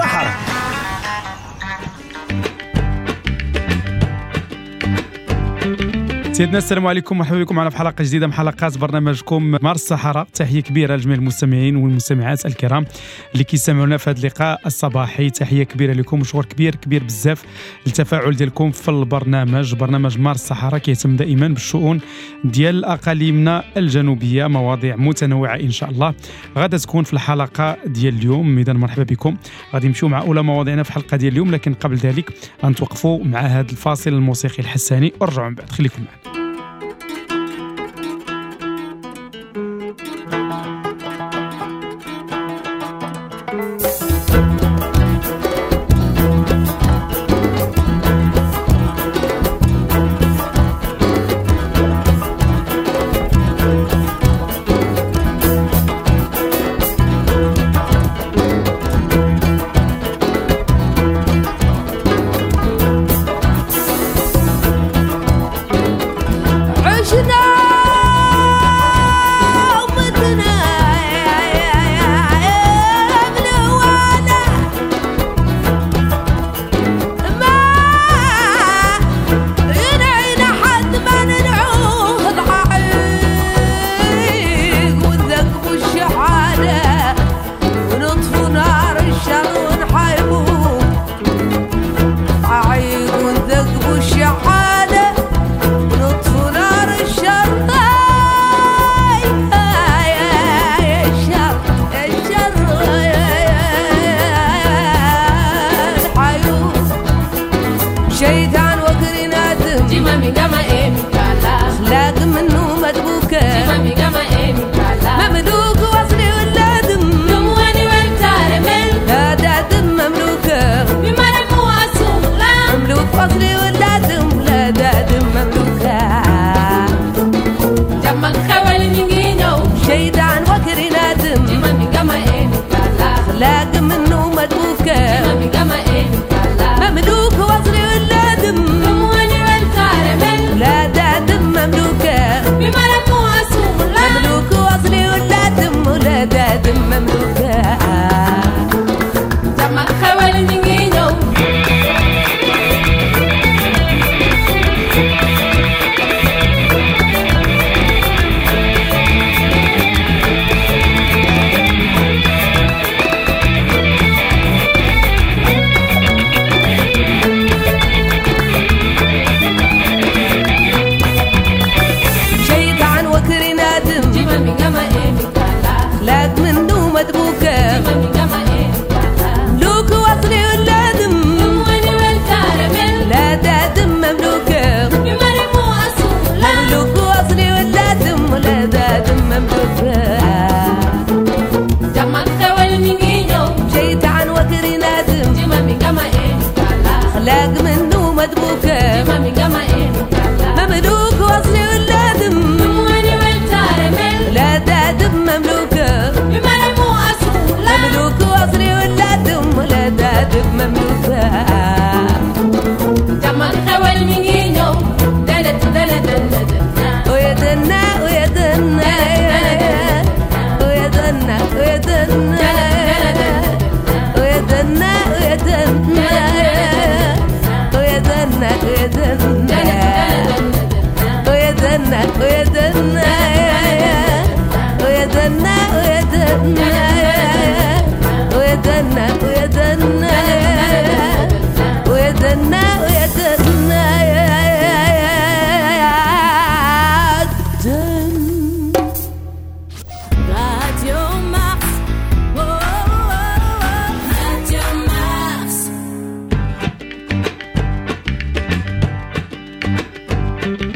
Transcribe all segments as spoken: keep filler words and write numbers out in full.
الصحراء. سيدنا السلام عليكم، مرحبا بكم معنا في حلقة جديدة من حلقات برنامجكم مارس الصحراء. تحية كبيرة لجميع المستمعين والمستمعات الكرام اللي كيسمعونا في هذا اللقاء الصباحي. تحية كبيرة لكم وشكر كبير كبير بزاف للتفاعل ديالكم في البرنامج. برنامج مارس الصحراء كيهتم دائما بالشؤون ديال اقاليمنا الجنوبية، مواضيع متنوعة ان شاء الله غادا تكون في الحلقة ديال اليوم. اذا مرحبا بكم، غادي نمشيو مع اولى مواضيعنا في الحلقة ديال اليوم، لكن قبل ذلك غنتوقفوا مع هذا الفاصل الموسيقي الحساني ورجعوا من بعد، خليكم معنا.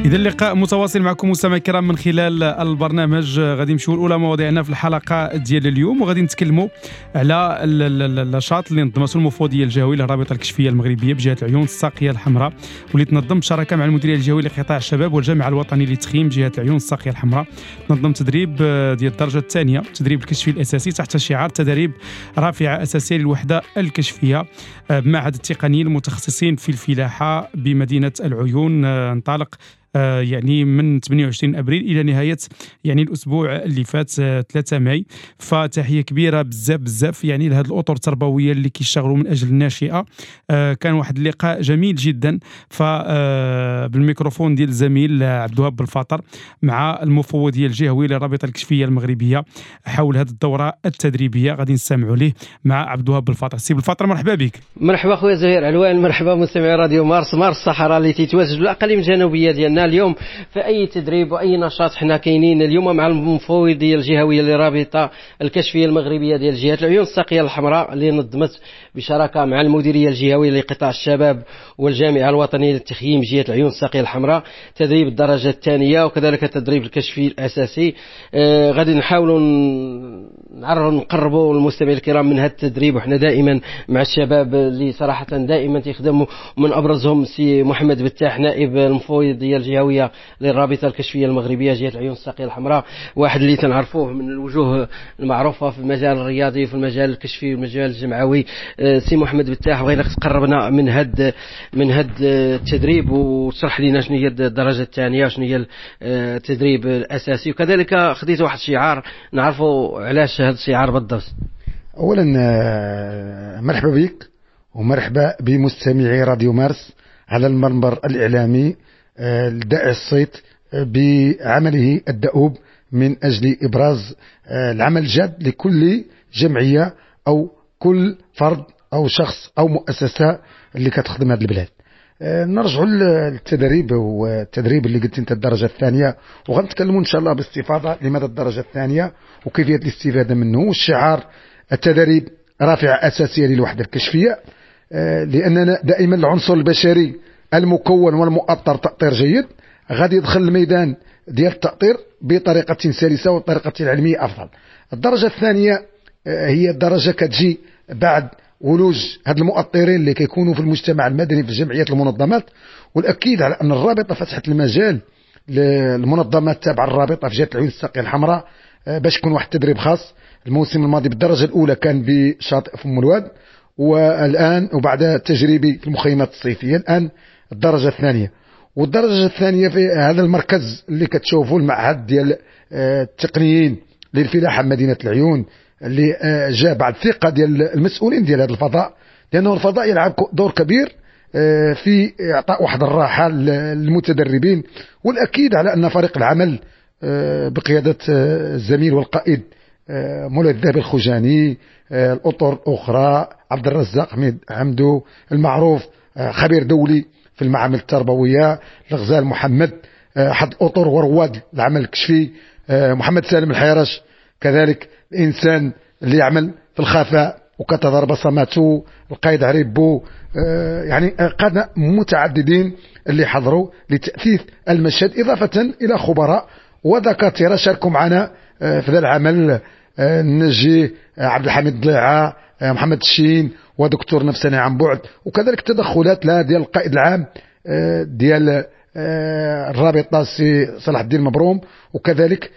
إذا اللقاء متواصل معكم مستمعي الكرام من خلال البرنامج. غادي نمشيو لأولى مواضيعنا في الحلقة ديال اليوم، وغادي نتكلموا على النشاط اللي نظمته المفوضية الجهوية للرابطة الكشفية المغربية بجهة العيون الساقية الحمراء، واللي تنظم بشراكة مع المديرية الجهوية لقطاع الشباب والجامعة الوطنية للتخييم بجهة العيون الساقية الحمراء. تنظم تدريب ديال الدرجة الثانية، تدريب الكشفي الأساسي تحت شعار تدريب رافعة أساسية للوحدة الكشفية بمعهد التقنيين المتخصصين في الفلاحة بمدينة العيون. انطلق يعني من ثمانية وعشرين ابريل الى نهاية يعني الاسبوع اللي فات ثلاثة ماي. فتحيه كبيرة بزاف بزاف يعني لهاد الاطر التربوية اللي كيشتغلوا من اجل الناشئة. كان واحد اللقاء جميل جدا ف بالميكروفون ديال الزميل عبد الوهاب بالفاطر مع المفوضية الجهوية للرابطة الكشفيه المغربية حول هذه الدورة التدريبية. غادي نستمعوا ليه مع عبد الوهاب بالفاطر. سي بالفاطر مرحبا بك. مرحبا خويا زهير علوان، مرحبا مستمعي راديو مارس، مارس الصحراء اللي تيتواجد بالاقاليم الجنوبية ديالنا. اليوم في اي تدريب واي نشاط حنا كاينين اليوم مع المفوضية الجهوية للرابطة الكشفيه المغربية ديال جهة العيون الساقيه الحمراء اللي نظمت بشراكه مع المديرية الجهوية لقطاع الشباب والجامعة الوطنية للتخييم جهة العيون الساقيه الحمراء، تدريب الدرجة الثانية وكذلك التدريب الكشفي الاساسي. آه غادي نحاولوا نعرفوا نقربوا المستمعين الكرام من هذا التدريب، وحنا دائما مع الشباب اللي صراحة دائما تيخدموا، من ابرزهم سي محمد بتاح نائب المفوضية الجهوية للرابطة الكشفيه المغربية جهة العيون الساقيه الحمراء، واحد اللي تنعرفوه من الوجوه المعروفة في المجال الرياضي في المجال الكشفي والمجال الجمعوي. آه سي محمد بتاح، بغيناك تقربنا من هاد من هاد التدريب وتشرح لنا شنو هي الدرجة الثانية وشنو هي التدريب الاساسي، وكذلك خديت واحد الشعار نعرفوا علاش هذا الشعار بالضبط. اولا مرحبا بك ومرحبا بمستمعي راديو مارس على المنبر الاعلامي الدائع الصيت بعمله الدؤوب من اجل ابراز العمل الجاد لكل جمعية او كل فرد او شخص او مؤسسة اللي كتخدم هذه البلاد. نرجعوا للتدريب، والتدريب اللي قلت انت الدرجة الثانية، وغنتكلموا ان شاء الله باستفاضة لماذا الدرجة الثانية وكيفية الاستفادة منه. والشعار التدريب رافعه اساسية للوحدة الكشفيه، لاننا دائما العنصر البشري المكون والمؤطر تاطير جيد غادي يدخل الميدان ديال التاطير بطريقة سلسه وطريقه علمية افضل. الدرجة الثانية هي الدرجة كتجي بعد ولوج هاد المؤطرين اللي كيكونوا في المجتمع المدني في الجمعيات المنظمات، والاكيد على ان الرابطة فتحت المجال للمنظمات تابعه الرابطة في جهة العيون الساقيه الحمراء باش يكون واحد التدريب خاص. الموسم الماضي بالدرجة الاولى كان بشاطئ فم الواد، والان وبعد تجريبي في المخيمات الصيفية الان الدرجة الثانية. والدرجة الثانية في هذا المركز اللي كتشوفوا المعهد ديال التقنيين للفلاحه مدينة العيون اللي جاء بعد ثقة ديال المسؤولين ديال هذا الفضاء، لانه الفضاء يلعب دور كبير في اعطاء واحد الراحة للمتدربين. والاكيد على ان فريق العمل بقيادة الزميل والقائد مولاي الذهبي الخجاني، الاطر الاخرى عبد الرزاق حميد حمدو المعروف خبير دولي في المعامل التربوية، الغزال محمد احد الاطر ورواد العمل الكشفي، محمد سالم الحيرش كذلك الانسان اللي يعمل في الخفاء وكتظهر بصماته، القائد عريبو، يعني قادة متعددين اللي حضروا لتأثيث المشهد، إضافة إلى خبراء ودكاترة شاركوا معنا في هذا العمل، نجي عبد الحميد ضليعة، محمد الشين، ودكتور نفساني عن بعد، وكذلك تدخلات لا ديال القائد العام ديال الرابطة سي صلاح الدين مبروم، وكذلك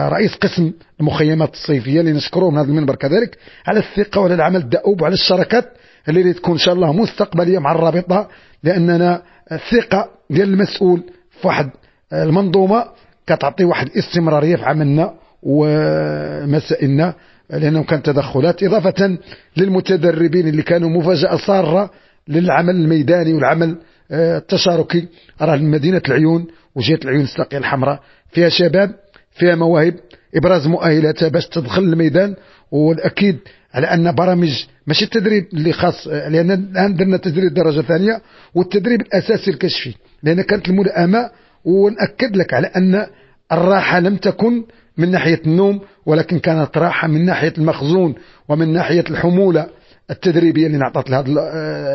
رئيس قسم المخيمات الصيفية اللي نشكروه من هذا المنبر كذلك على الثقة وعلى العمل الدؤوب وعلى الشراكات اللي تكون إن شاء الله مستقبلية مع الرابطة، لأننا الثقة ديال المسؤول في واحد المنظومة كتعطي واحد الاستمرارية في عملنا ومسائلنا، لأنه كان تدخلات إضافة للمتدربين اللي كانوا مفاجأة سارة للعمل الميداني والعمل التشاركي. راه مدينة العيون وجهة العيون الساقية الحمراء فيها شباب، فيها مواهب، إبراز مؤهلاتها باش تدخل الميدان. والأكيد على أن برامج ماشي التدريب اللي خاص، لأن الآن درنا تدريب درجة ثانية والتدريب الأساسي الكشفي، لأن كانت الملائمة. ونأكد لك على أن الراحة لم تكن من ناحية النوم، ولكن كانت راحة من ناحية المخزون ومن ناحية الحمولة التدريبية اللي نعطت لهذا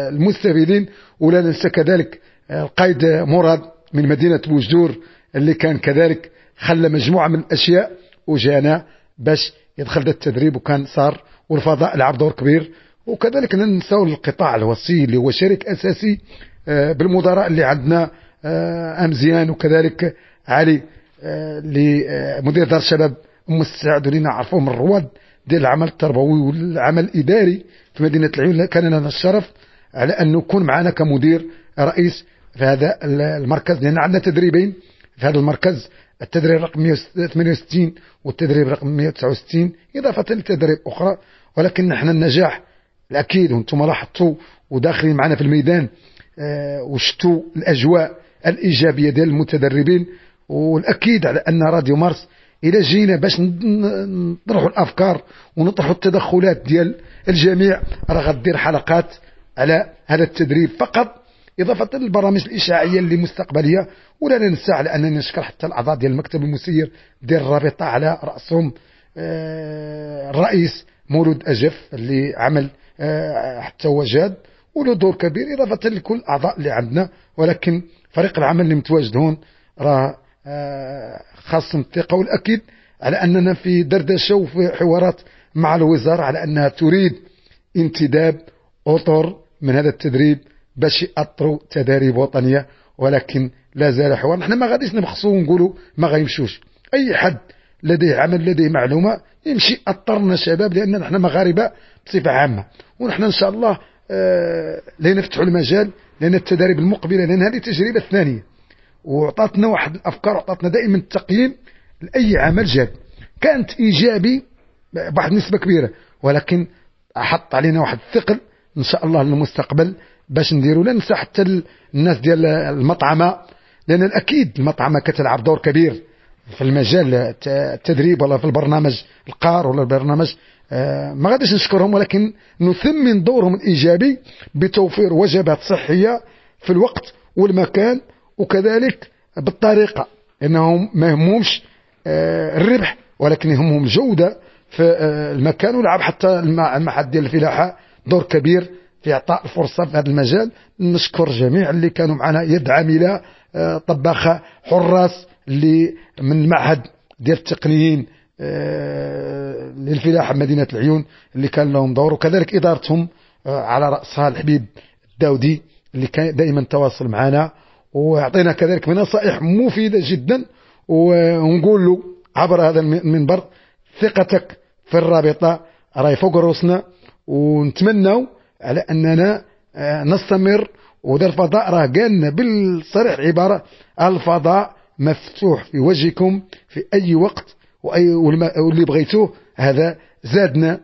المستفيدين. ولا ننسى كذلك القائد مراد من مدينة بوجدور اللي كان كذلك خلى مجموعة من الأشياء وجانا باش يدخل ذا التدريب وكان صار، والفضاء لعب دور كبير. وكذلك ننساو القطاع الوصي اللي هو شريك أساسي بالمدراء اللي عندنا أمزيان، وكذلك علي اللي مدير دار الشباب أم السعد، اللي نعرفوه من الرواد ديال العمل التربوي والعمل الإداري في مدينة العيون. كان لنا الشرف على أنه يكون معنا كمدير رئيس في هذا المركز، لأن عندنا تدريبين، في هذا المركز، التدريب رقم مئة وثمانية وستين والتدريب رقم مئة وتسعة وستين، إضافة لتدريب أخرى. ولكن نحن النجاح الأكيد، وانتم لاحظتوا وداخلين معنا في الميدان آه وشتوا الأجواء الإيجابية ديال المتدربين. والأكيد على أن راديو مارس إلى جينا باش نطرحوا الأفكار ونطرحوا التدخلات ديال الجميع، راه غدير حلقات على هذا التدريب فقط، إضافة للبرامج الإشعاعية اللي مستقبلية. ولا ننسى على أنني نشكر حتى الأعضاء ديال المكتب المسير ديال الرابطة، على رأسهم الرئيس مولود أجف اللي عمل حتى هو جاد وله دور كبير، إضافة لكل الأعضاء اللي عندنا. ولكن فريق العمل اللي متواجد هون راه خاصهم الثقة، والأكيد على أننا في دردشة وفي حوارات مع الوزارة على أنها تريد انتداب أطر من هذا التدريب باش يأطروا تداريب وطنية، ولكن لا زال حوار. نحن ما غاديش نبخسوا ونقولوا ما غيمشوش، أي حد لديه عمل لديه معلومة يمشي أطرنا شباب، لأن نحن مغاربة بصفة عامة. ونحن إن شاء الله آه لنفتحوا المجال، لأن التداريب المقبلة، لأن هذه التجربة الثانية وعطاتنا واحد الأفكار، وعطاتنا دائما التقييم لأي عمل جاد كانت إيجابي بواحد النسبة كبيرة، ولكن حط علينا واحد الثقل إن شاء الله للمستقبل باش نديروا. لا ننسى حتى الناس ديال المطعمة، لأن الأكيد المطعمة كتلعب دور كبير في المجال التدريب ولا في البرنامج القار ولا البرنامج، ما غاديش نشكرهم ولكن نثمن دورهم الإيجابي بتوفير وجبات صحية في الوقت والمكان، وكذلك بالطريقة، انهم ما يهمهمش الربح ولكن يهمهم الجودة في المكان. ولعب حتى المعهد ديال الفلاحة دور كبير في إعطاء الفرصة في هذا المجال. نشكر جميع اللي كانوا معنا، يد عاملة، طباخة، حراس اللي من المعهد ديال التقنيين للفلاحة مدينة العيون اللي كان لهم دور، وكذلك إدارتهم على رأسها الحبيب الداودي اللي كان دائما تواصل معنا ويعطينا كذلك نصائح مفيدة جدا. ونقول له عبر هذا المنبر ثقتك في الرابطة راهي فوق رؤوسنا، ونتمنوا على أننا نستمر. وذا الفضاء راه قالنا بالصريح عبارة، الفضاء مفتوح في وجهكم في أي وقت وأي واللي بغيتوه. هذا زادنا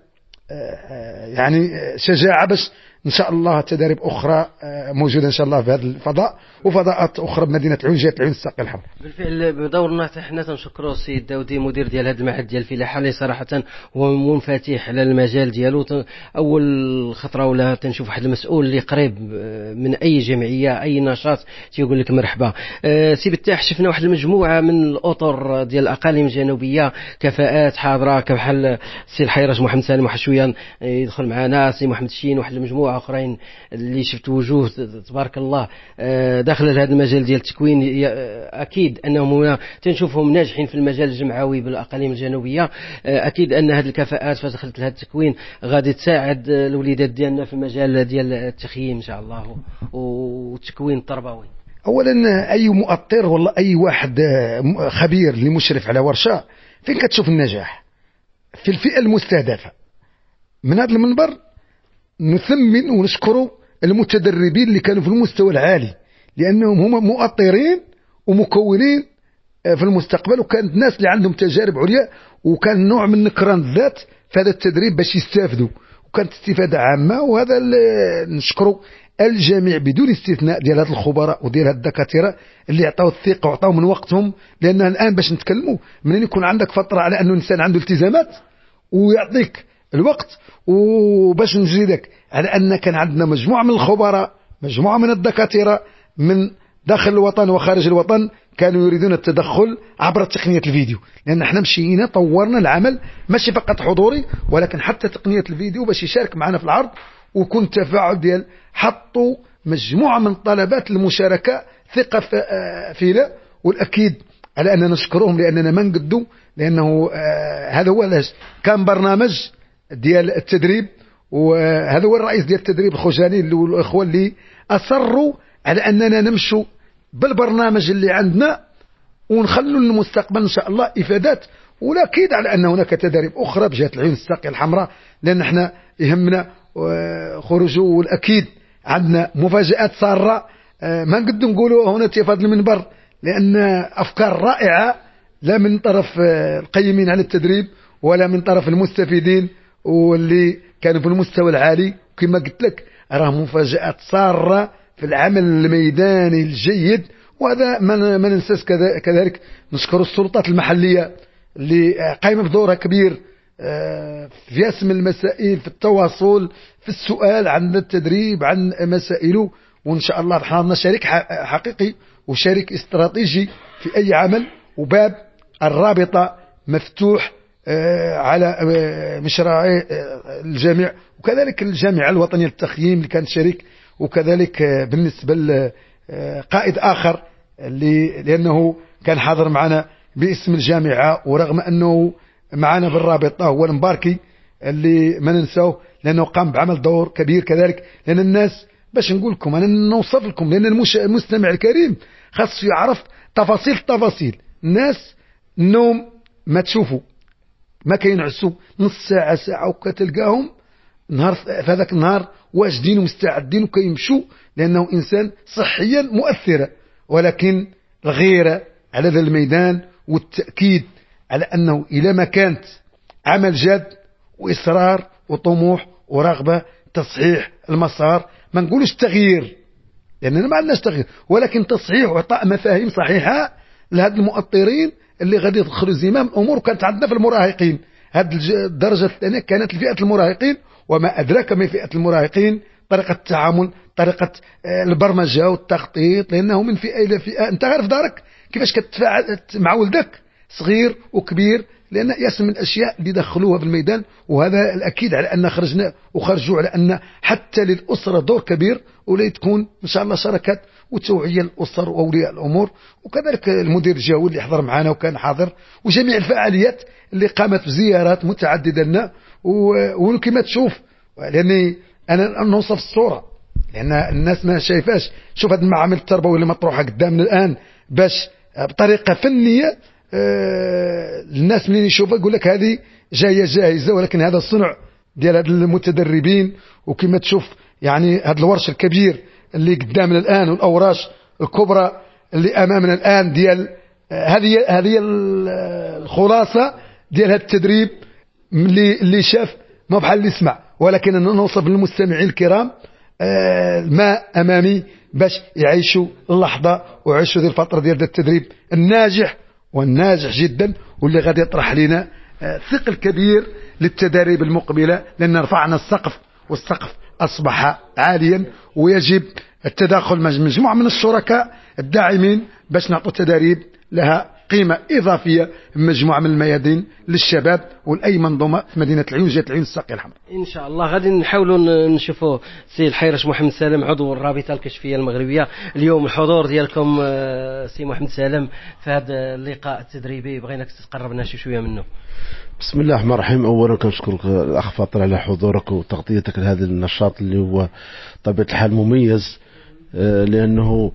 يعني شجاعة باش إن شاء الله تداريب أخرى موجودة إن شاء الله في هذا الفضاء وفضاءات أخرى بمدينة العيون، جهة العيون الساقي الحمراء. بالفعل بدورنا حنا تنشكروا السيد داودي مدير ديال هذا المعهد ديال الفلاحة اللي صراحة هو منفتح على المجال ديالو. أول خطرة ولا تنشوف واحد المسؤول اللي قريب من أي جمعية أي نشاط تيقول لك مرحبا. سي بتاح، شفنا واحد المجموعة من الأطر ديال الأقاليم الجنوبية، كفاءات حاضرة كبحال السي الحيرش محمد سالم واحد شوية يدخل معنا، سي محمد الشين، واحد المجموعة اخرين اللي شفت وجوه تبارك الله داخل هذا المجال ديال التكوين. اكيد انهم هنا تنشوفهم ناجحين في المجال الجمعوي بالاقاليم الجنوبية. اكيد ان هذه الكفاءات فدخلت لهذا التكوين غادي تساعد الوليدات ديالنا في المجال ديال التخييم ان شاء الله والتكوين التربوي. اولا اي مؤطر ولا اي واحد خبير اللي مشرف على ورشه، فين كتشوف النجاح؟ في الفئة المستهدفة. من هذا المنبر نثمن ونشكر المتدربين اللي كانوا في المستوى العالي، لأنهم هم مؤطرين ومكونين في المستقبل، وكانت ناس اللي عندهم تجارب عليا، وكان نوع من نكران الذات في هذا التدريب باش يستافدوا، وكانت استفادة عامة. وهذا نشكره الجميع بدون استثناء ديال هاد الخبراء وديال هاد الدكاترة اللي عطاو الثقة وعطاو من وقتهم. لأن الآن باش نتكلموا، منين يكون عندك فترة على أنه الإنسان عنده التزامات ويعطيك الوقت. وباش نزيدك على أن كان عندنا مجموعة من الخبراء، مجموعة من الدكاترة من داخل الوطن وخارج الوطن كانوا يريدون التدخل عبر تقنية الفيديو، لأن احنا مشينا طورنا العمل ماشي فقط حضوري ولكن حتى تقنية الفيديو باش يشارك معنا في العرض، وكون تفاعل ديال حطوا مجموعة من طلبات المشاركة ثقة فينا. والأكيد على أننا نشكرهم لأننا ما نقدوا، لأنه هذا هو علاش كان برنامج ديال التدريب، وهذا هو الرئيس ديال التدريب الخجاني والإخوة اللي أصروا على أننا نمشوا بالبرنامج اللي عندنا ونخلوا للمستقبل إن شاء الله إفادات. والأكيد على أن هناك تداريب أخرى بجهة العيون الساقية الحمراء، لأن احنا يهمنا خروجه. والأكيد عندنا مفاجآت سارة ما نقدر نقولوا هنا في هذا المنبر، لان افكار رائعة لا من طرف القيمين على التدريب ولا من طرف المستفيدين واللي كانوا في المستوى العالي. كما قلت لك راه مفاجآت سارة في العمل الميداني الجيد. وهذا ما ننساش كذلك نشكر السلطات المحلية اللي قايمة بدورها كبير في اسم المسائل، في التواصل، في السؤال عن التدريب، عن مسائله. وإن شاء الله حنا شريك حقيقي وشريك استراتيجي في أي عمل، وباب الرابطة مفتوح على مشروع الجميع، وكذلك الجامعة الوطنية للتخييم اللي كانت شريك، وكذلك بالنسبة لقائد آخر اللي لأنه كان حاضر معنا باسم الجامعة ورغم أنه معنا بالرابطة، هو المباركي اللي ما ننساه لأنه قام بعمل دور كبير كذلك. لأن الناس باش نقول لكم أنا نوصف لكم، لأن المستمع الكريم خاص يعرف تفاصيل التفاصيل. الناس النوم ما تشوفوا ما كينعسوا نص ساعة ساعة وكتلقاهم نهار في هذاك النهار واجدين ومستعدين وكيمشوا، لأنه إنسان صحيا مؤثرة. ولكن الغيرة على ذا الميدان والتأكيد على أنه إلى ما كانت عمل جاد وإصرار وطموح ورغبة تصحيح المسار، ما نقولوش تغيير لأننا ما عندناش تغيير، ولكن تصحيح وإعطاء مفاهيم صحيحة لهاد المؤطرين اللي غادي يدخلوا زمام الأمور. وكانت عندنا في المراهقين هاد الدرجة الثانية كانت لفئة المراهقين، وما أدراك ما فئة المراهقين، طريقة التعامل، طريقة البرمجة والتخطيط، لأنه من فئة إلى فئة. أنت عارف دارك كيفاش كتفاعل مع ولدك صغير وكبير، لأن ياسم من الأشياء اللي دخلوها في الميدان. وهذا الأكيد على أن خرجنا وخرجوا على أن حتى للأسرة دور كبير، ولا تكون إن شاء الله شراكات وتوعية الأسر وأولياء الأمور، وكذلك المدير الجهوي اللي حضر معنا وكان حاضر، وجميع الفعاليات اللي قامت بزيارات متعددة لنا. وكما تشوف، لأني أنا نوصف الصورة لأن الناس ما شايفاش، شوف هذه المعامل التربوية اللي مطروحة قدامنا الآن باش بطريقة فنية الناس منين يشوفها يقول لك هذه جاية جاهزة، ولكن هذا الصنع ديال هاد المتدربين. وكما تشوف يعني هذا الورش الكبير اللي قدامنا الآن والأوراش الكبرى اللي أمامنا الآن ديال هذه هذه الخلاصة ديال هذا التدريب اللي اللي شاف ما بحال اللي سمع. ولكن نوصف للمستمعين الكرام ما أمامي باش يعيشوا اللحظة ويعيشوا ذي الفترة ديال التدريب الناجح والناجح جدا، واللي غادي يطرح لنا ثقل كبير للتدريب المقبلة، لأن رفعنا السقف والسقف أصبح عاليا، ويجب التداخل مع مجموعة من الشركاء الداعمين باش نعطوا تدريب لها قيمة إضافية مجموعة من الميادين للشباب ولأي منظومة في مدينة العيون، جهة العيون الساقية الحمراء. إن شاء الله غادي نحاولوا نشوفوا سي الحيرش محمد سالم عضو الرابطة الكشفية المغربية. اليوم الحضور ديالكم سي محمد سالم في هذا اللقاء التدريبي، بغيناك تقربنا شي شوية منه. بسم الله الرحمن الرحيم. أولا كنشكرك الأخ فاطر على حضورك وتغطيتك لهذا النشاط اللي هو طبيعة الحال مميز، لأنه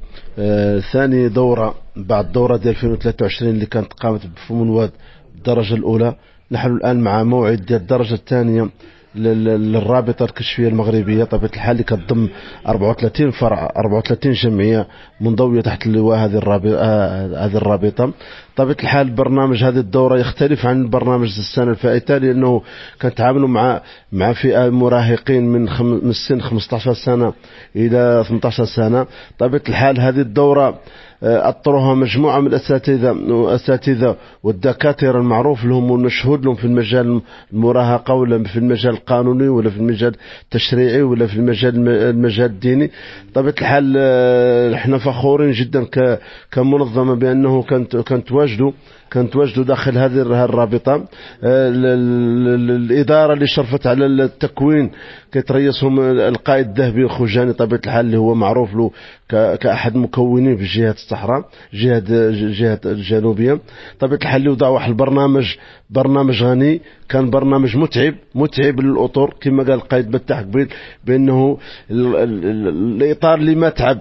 ثاني دورة بعد الدورة ديال ألفين وثلاثة وعشرين اللي كانت قامت بفم الواد الدرجة الأولى، نحن الآن مع موعد ديال الدرجة الثانية للرابطة الكشفية المغربية طبيعة الحال اللي كتضم أربعة وثلاثين فرع، أربعة وثلاثين جمعية منضوية تحت اللواء هذه الرابطة هذه الرابطة. طبيعة الحال برنامج هذه الدورة يختلف عن برنامج السنة الفائتة، لأنه كنتعاملوا مع مع فئة مراهقين من خم من السن خمسة عشر سنة إلى ثمانية عشر سنة. طبيعة الحال هذه الدورة أطروها مجموعة من الأساتذة والأساتذة والدكاترة المعروف لهم والمشهود لهم في المجال المراهقة ولا في المجال القانوني ولا في المجال التشريعي ولا في المجال المجال الديني. طبيعة الحال احنا فخورين جدا كمنظمة بأنه كانت كنتواجدوا كنتواجدوا داخل هذه الرابطة. الإدارة اللي شرفت على التكوين كيتريسهم القائد الذهبي الخوجاني طبيعة الحال اللي هو معروف له كأحد المكونين في جهة الصحراء، جهة جهة الجنوبية. طبيعة الحال اللي وضع واحد البرنامج، برنامج غني، كان برنامج متعب متعب للأطر كما قال القائد بتاح قبيل بأنه الإطار اللي ما تعب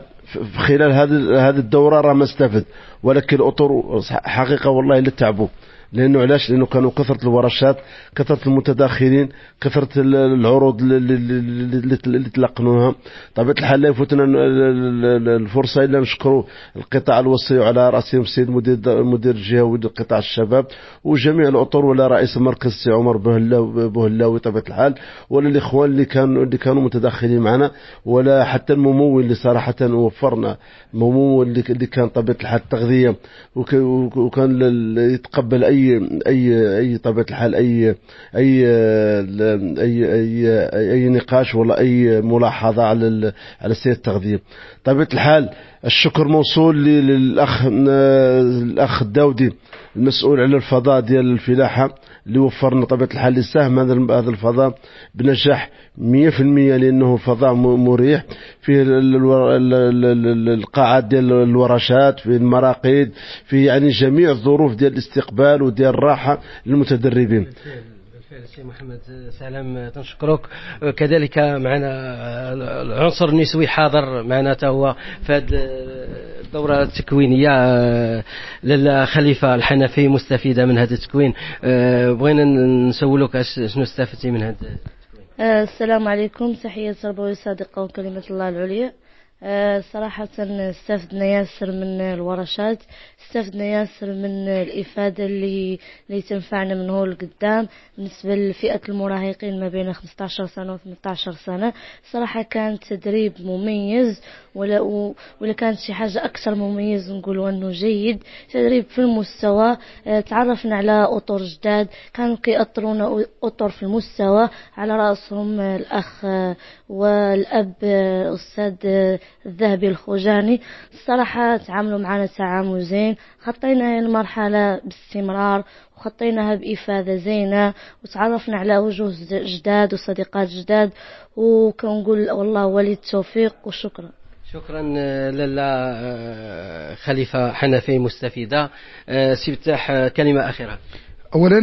خلال هذه هذه الدورة راه ما استفد، ولكن الأطر حقيقة والله اللي تعبوا لانه علاش؟ لانه كانوا كثرة الورشات، كثرة المتداخلين، كثرة العروض اللي, اللي تلقنوها. طبيعة الحال لا يفوتنا الفرصة الا نشكروا القطاع الوصي وعلى راسهم السيد المدير المدير الجهوي لقطاع الشباب وجميع الاطر، ولا رئيس المركز السي عمر بوهلاوي طبيعة الحال، ولا الاخوان اللي كانوا اللي كانوا متداخلين معنا، ولا حتى الممول اللي صراحة وفرنا الممول اللي كان طبيعة الحال التغذية، وكان يتقبل اي اي اي طبيعة الحال اي اي اي اي, أي نقاش ولا اي ملاحظة على على سير التغذية. طبيعة الحال الشكر موصول للاخ الاخ الداودي المسؤول على الفضاء ديال الفلاحة اللي وفرنا طبيعة الحال اللي ساهم هذا هذا الفضاء بنجاح مية في المية، لانه فضاء مريح فيه القاعات ديال الورشات، فيه المراقد، فيه يعني جميع الظروف ديال الاستقبال وديال الراحة للمتدربين. بالفعل سي محمد سلام تنشكرك. كذلك معنا العنصر النسوي حاضر معنا حتى هو في هذه الدورة التكوينية، لاله خليفة الحنفي مستفيدة من هذا التكوين. بغينا نسولوك شنو استفدتي من هذا التكوين؟ السلام عليكم، تحية تربوية صادقة وكلمة الله العليا. صراحة استفدنا ياسر من الورشات، استفدنا ياسر من الإفادة اللي اللي تنفعنا من هو لقدام. بالنسبة لفئة المراهقين ما بين خمسة عشر سنة و ثمانية عشر سنة، صراحة كان تدريب مميز، ولا ولا كانت شي حاجة أكثر مميز نقولوا أنه جيد، تدريب في المستوى. تعرفنا على أطر جداد كانوا كيأطرونا أطر في المستوى، على رأسهم الأخ والأب الأستاذ الذهبي الخوجاني. الصراحة تعاملوا معنا تعامل زين، خطينا المرحلة باستمرار وخطيناها بإفادة زينة، وتعرفنا على وجوه جداد وصديقات جداد، وكنقول والله ولي التوفيق وشكرا. شكرا لاله خليفة حنفي مستفيدة. سي فتاح كلمة أخيرة. اولا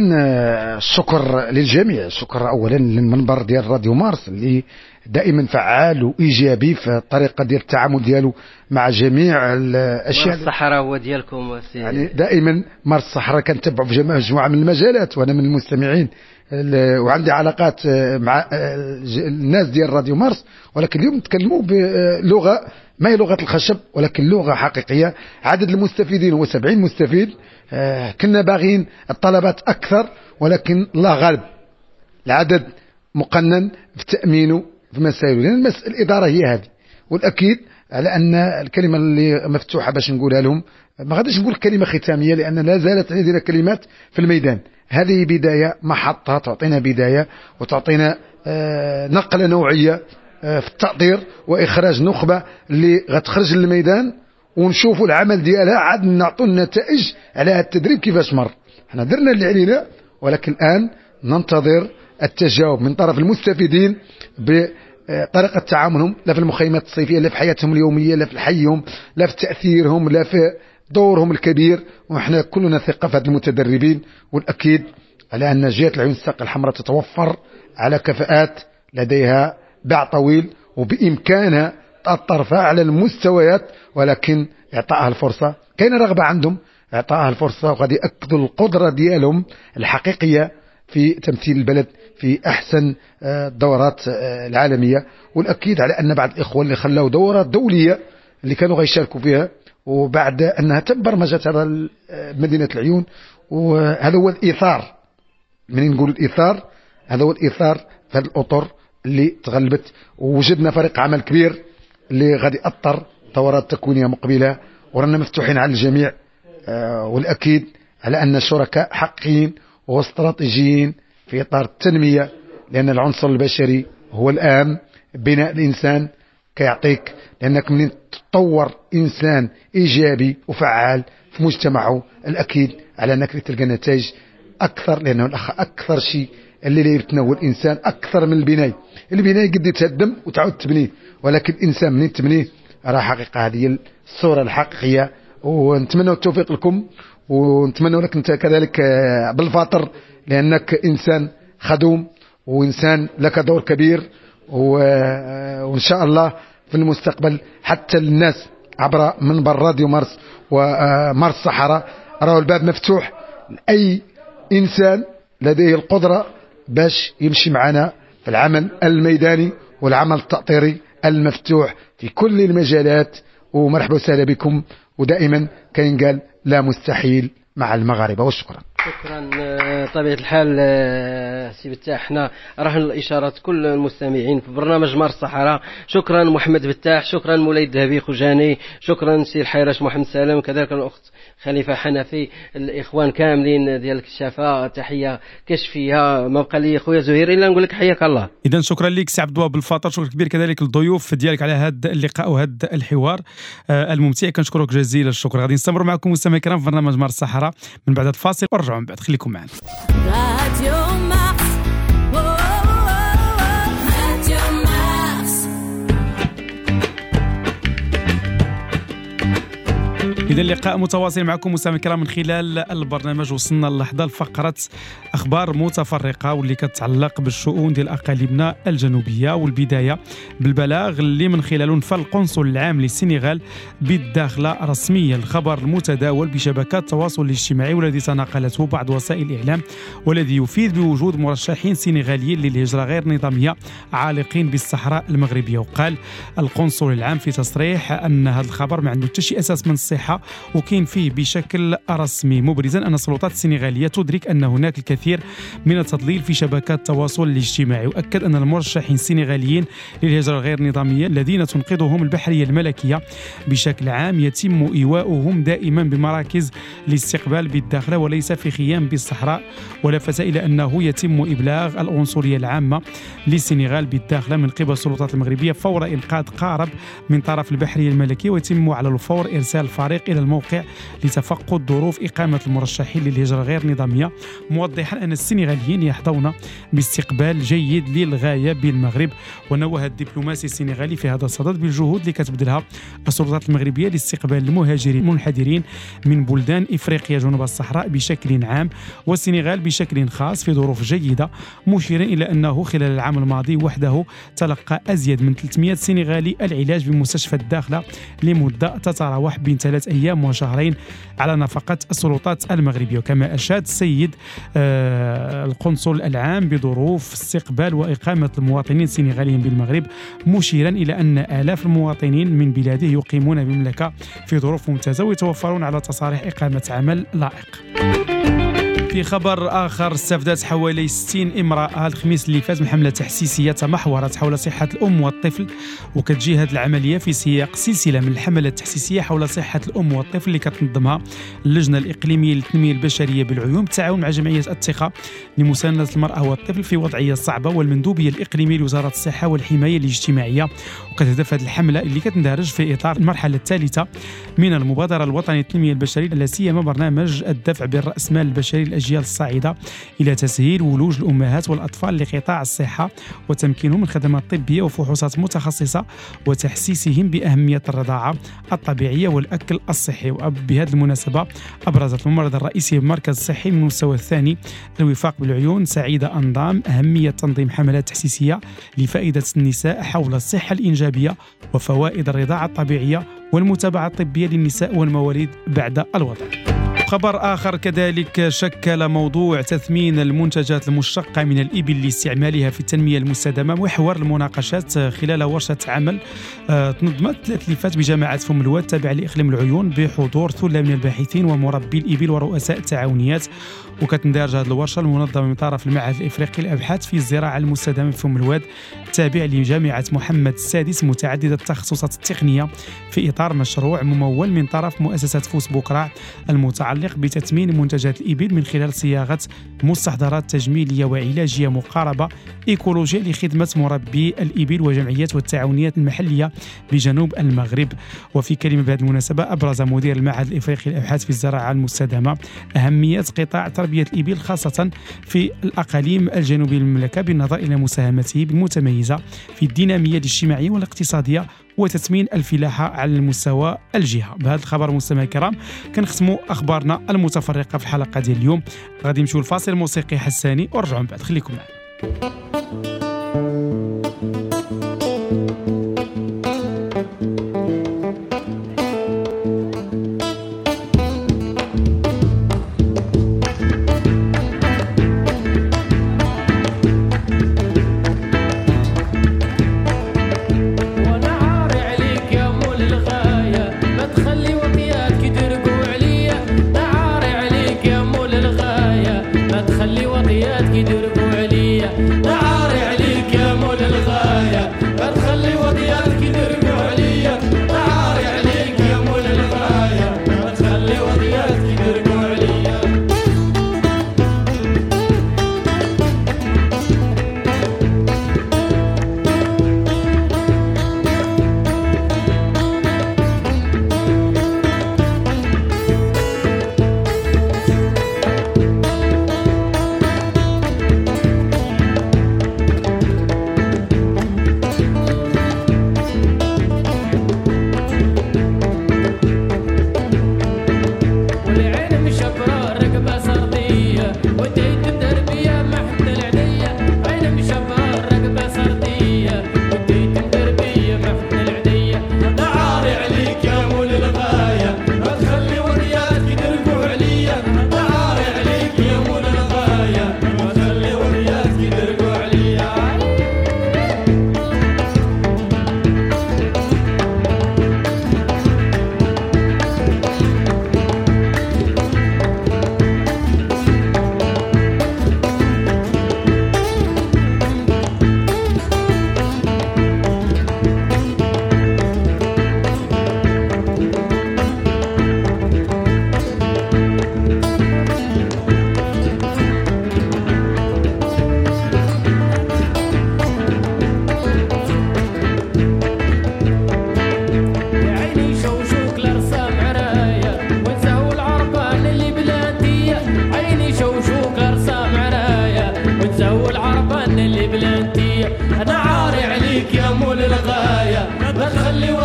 الشكر للجميع، الشكر اولا للمنبر ديال راديو مارس اللي دائما فعال وايجابي في الطريقة ديال التعامل ديالو مع جميع الاشياء. مارس الصحراء هو ديالكم يعني دائما مارس الصحراء كنتبعوا في مجموعة من المجالات، وانا من المستمعين وعندي علاقات مع الناس ديال راديو مارس، ولكن اليوم نتكلموا بلغه ما هي لغة الخشب ولكن لغة حقيقية. عدد المستفيدين هو سبعين مستفيد، كنا باغين الطلبات اكثر ولكن الله غالب العدد مقنن في تامينه في مسائله، لان الادارة هي هذه. والاكيد على ان الكلمة اللي مفتوحة باش نقولها لهم، ما غاديش نقول كلمة ختامية لان لا زالت عندنا كلمات في الميدان. هذه بداية محطة تعطينا بداية وتعطينا نقله نوعية في التأطير واخراج نخبة اللي غتخرج للميدان ونشوفوا العمل ديالها، عاد نعطوا النتائج على هذا التدريب كيفاش مر. حنا درنا اللي علينا، ولكن الان ننتظر التجاوب من طرف المستفيدين بطريقة تعاملهم، لا في المخيمات الصيفية، لا في حياتهم اليومية، لا في حيهم، لا في تاثيرهم، لا في دورهم الكبير. وحنا كلنا ثقة في هاد المتدربين، والاكيد على ان جهة العيون الساقيه الحمراء تتوفر على كفاءات لديها باع طويل وبامكانها تأثر على المستويات، ولكن اعطائها الفرصة. كاين رغبة عندهم، اعطائها الفرصة وغادي ياكدوا القدرة ديالهم الحقيقية في تمثيل البلد في احسن الدورات العالمية. والاكيد على ان بعض الاخوة اللي خلاو دورات دولية اللي كانوا غيشاركوا فيها، وبعد انها تم برمجة هذا مدينة العيون، وهذا هو الايثار. منين نقول الايثار، هذا هو الايثار في هذه الاطر اللي تغلبت، ووجدنا فريق عمل كبير اللي غادي يأطر دورات تكوينيه مقبله، ورانا مفتوحين على الجميع. والاكيد على ان الشركاء حقيقيين واستراتيجيين في اطار التنمية، لان العنصر البشري هو الاهم. بناء الانسان كيعطيك، لانك منين تطور انسان ايجابي وفعال في مجتمعه، الاكيد على انك تلقى نتائج اكثر، لانه الاخ اكثر شيء اللي لا يتناول الانسان اكثر من البناية. البناية قد يتهدم وتعاود تبنيه، ولكن الانسان منين تبنيه راه حقيقة. هذه الصورة الحقيقية، ونتمنى التوفيق لكم، ونتمنى لك انت كذلك بالفاطر، لانك انسان خدوم وانسان لك دور كبير، وان شاء الله في المستقبل حتى الناس عبر منبر راديو مارس ومارس الصحراء راهو الباب مفتوح لاي إنسان لديه القدرة باش يمشي معنا في العمل الميداني والعمل التأطيري المفتوح في كل المجالات. ومرحبا وسهلا بكم، ودائما كينقال لا مستحيل مع المغاربة. وشكرا. شكرا. طبيعة الحال سي بتاح، حنا رهن الإشارات كل المستمعين في برنامج مارس الصحراء. شكرا محمد بتاح، شكرا مولاي الذهبي خوجاني، شكرا سي الحيرش محمد سالم، كذلك الأخت خليفة حنفي، الإخوان كاملين ديال الكشافة، تحية كشفية. ما بقى لي خويا زهير إلا نقول لك حياك الله. إذا شكرا لك سي عبد الوهاب الفاطر، شكرا كبير كذلك للضيوف ديالك على هذا اللقاء وهذا الحوار الممتع، كنشكرك جزيل الشكر. غادي نستمر معكم مستمعي الكرام في برنامج مارس الصحراء من بعد الفاصل، ورجعوا من بعد، خليكم معنا. إذا اللقاء متواصل معكم مستمعي الكرام من خلال البرنامج. وصلنا للحظة لفقرة أخبار متفرقة واللي كتعلق بالشؤون ديال أقاليمنا الجنوبية، والبداية بالبلاغ اللي من خلاله نفى القنصل العام للسنغال بالداخلة رسميا الخبر المتداول بشبكات التواصل الاجتماعي والذي تناقلته بعض وسائل الإعلام، والذي يفيد بوجود مرشحين سنغاليين للهجرة غير نظامية عالقين بالصحراء المغربية. وقال القنصل العام في تصريح أن هذا الخبر ما عنده حتى شي أساس من الصحة وكاين فيه بشكل رسمي، مبرزا أن السلطات السنغالية تدرك أن هناك الكثير من التضليل في شبكات التواصل الاجتماعي. وأكد أن المرشحين السنغاليين للهجرة غير النظامية الذين تنقذهم البحرية الملكية بشكل عام يتم إيواؤهم دائما بمراكز الاستقبال بالداخلة وليس في خيام بالصحراء. ولفت إلى أنه يتم إبلاغ القنصلية العامة للسنغال بالداخلة من قبل السلطات المغربية فور إنقاذ قارب من طرف البحرية الملكية، ويتم على الفور إرسال فريق إلى الموقع لتفقد ظروف إقامة المرشحين للهجرة غير نظامية، موضحا أن السنغاليين يحظون باستقبال جيد للغاية بالمغرب. ونوه الدبلوماسي السنغالي في هذا الصدد بالجهود اللي كتبذلها السلطات المغربية لاستقبال المهاجرين المنحدرين من بلدان إفريقيا جنوب الصحراء بشكل عام والسنغال بشكل خاص في ظروف جيدة، مشيرا إلى أنه خلال العام الماضي وحده تلقى أزيد من ثلاثمئة سنغالي العلاج بمستشفى الداخلة لمدة تتراوح بين ثلاث أيام وشهرين على نفقة السلطات المغربية. وكما أشاد السيد آه القنصل العام بظروف استقبال وإقامة المواطنين السنغاليين بالمغرب، مشيرا إلى أن آلاف المواطنين من بلاده يقيمون بالمملكة في ظروف ممتازة ويتوفرون على تصاريح إقامة عمل لائق. في خبر آخر، استفادت حوالي ستين امرأة الخميس اللي فات من حملة تحسيسية تمحورت حول صحة الأم والطفل، وكتجي هذه العملية في سياق سلسلة من الحملات التحسيسية حول صحة الأم والطفل اللي كتنظمها اللجنة الإقليمية للتنمية البشرية بالعيون بالتعاون مع جمعية الثقة لمساندة المرأة والطفل في وضعية صعبة والمندوبية الإقليمية لوزارة الصحة والحماية الاجتماعية. وكتهدف هذه الحملة اللي كتندرج في إطار المرحلة الثالثة من المبادرة الوطنية للتنمية البشرية، لا سيما برنامج الدفع بالرأسمال البشري للأجيال الصاعدة إلى تسهيل ولوج الأمهات والأطفال لقطاع الصحة وتمكينهم من خدمات طبية وفحوصات متخصصة وتحسيسهم بأهمية الرضاعة الطبيعية والأكل الصحي. وبهذه المناسبة أبرزت الممرضة الرئيسية بالمركز الصحي من المستوى الثاني الوفاق بالعيون سعيدة أنظام أهمية تنظيم حملات تحسيسية لفائدة النساء حول الصحة الإنجابية وفوائد الرضاعة الطبيعية والمتابعة الطبية للنساء والمواليد بعد الوضع. خبر آخر كذلك شكل موضوع تثمين المنتجات المشتقة من الإبل لاستعمالها في التنمية المستدامة محور المناقشات خلال ورشة عمل تنظمت ثلاث لفات بجامعة فم الواد تابعة لإقليم العيون بحضور ثلة من الباحثين ومربي الإبل ورؤساء التعاونيات. وكتندرج هذه الورشة المنظمة من طرف المعهد الإفريقي للأبحاث في الزراعة المستدامة في فم الواد تابع لجامعة محمد السادس متعددة التخصصات التقنية في إطار مشروع ممول من طرف مؤسسة فوس بوكراع المتعلق بتثمين منتجات الإبل من خلال صياغة مستحضرات تجميلية وعلاجية مقاربة إيكولوجية لخدمة مربي الإبل وجمعيات والتعاونيات المحلية بجنوب المغرب. وفي كلمة بهذه المناسبة أبرز مدير المعهد الإفريقي للأبحاث في الزراعة المستدامة أهمية قطاع تربية الإبل خاصة في الأقاليم الجنوبية للمملكة بالنظر إلى مساهمته المتميزة في الدينامية الاجتماعية والاقتصادية وتثمين الفلاحة على المستوى الجهة. بهذا الخبر مستمعي الكرام كنختموا أخبارنا المتفرقة في الحلقة ديال اليوم. غادي نمشيو لفاصل موسيقي حساني ورجعوا من بعد، خليكم معنا.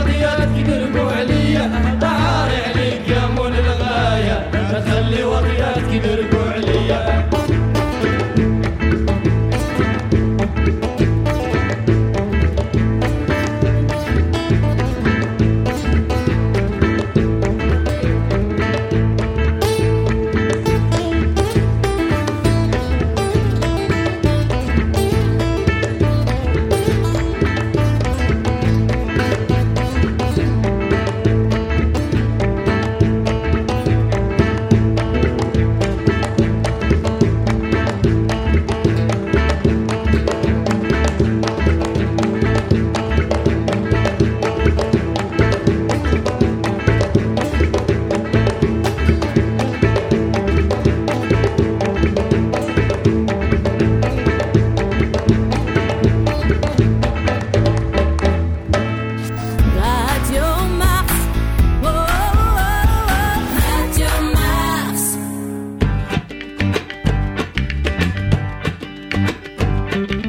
وطياتك يدرقوا عليا، تعاري عليك يا مول الغاية، ما تخلي وطياتك يدرقوا عليا.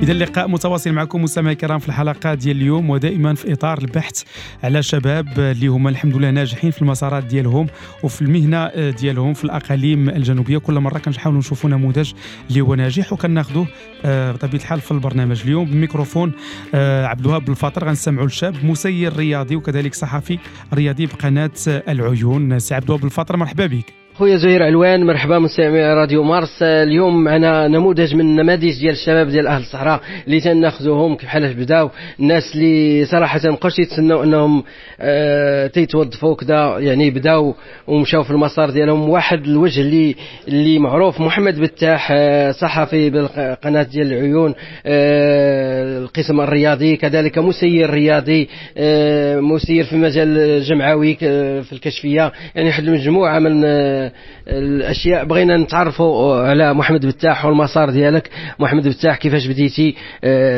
إذا اللقاء متواصل معكم مستمعي الكرام في الحلقة ديال اليوم، ودائما في إطار البحث على شباب اللي هما الحمد لله ناجحين في المسارات ديالهم وفي المهنة ديالهم في الأقاليم الجنوبية. كل مرة كنحاولوا نشوفوا نموذج اللي هو ناجح وكناخذوه بطبيعة الحال في البرنامج. اليوم بميكروفون عبد الوهاب بالفاطر غنسمعوا لشاب مسير رياضي وكذلك صحفي رياضي بقناة العيون. سي عبد الوهاب بالفاطر مرحبا بك. خويا زهير علوان مرحبا مستمعي راديو مارس. اليوم معنا نموذج من النماذج ديال الشباب ديال اهل الصحراء اللي تناخذوهم كيف حال بداو، الناس اللي صراحة مابقاوش يتسناو انهم آه تيتوظفوا كذا، يعني بداو ومشاو في المسار ديالهم. واحد الوجه اللي اللي معروف محمد بتاح، آه صحفي بالقناة ديال العيون، آه القسم الرياضي، كذلك مسير رياضي، آه مسير في مجال الجمعوي في الكشفيه، يعني واحد المجموعة من آه الاشياء. بغينا نتعرفوا على محمد بتاح والمسار ديالك. محمد بتاح كيفاش بديتي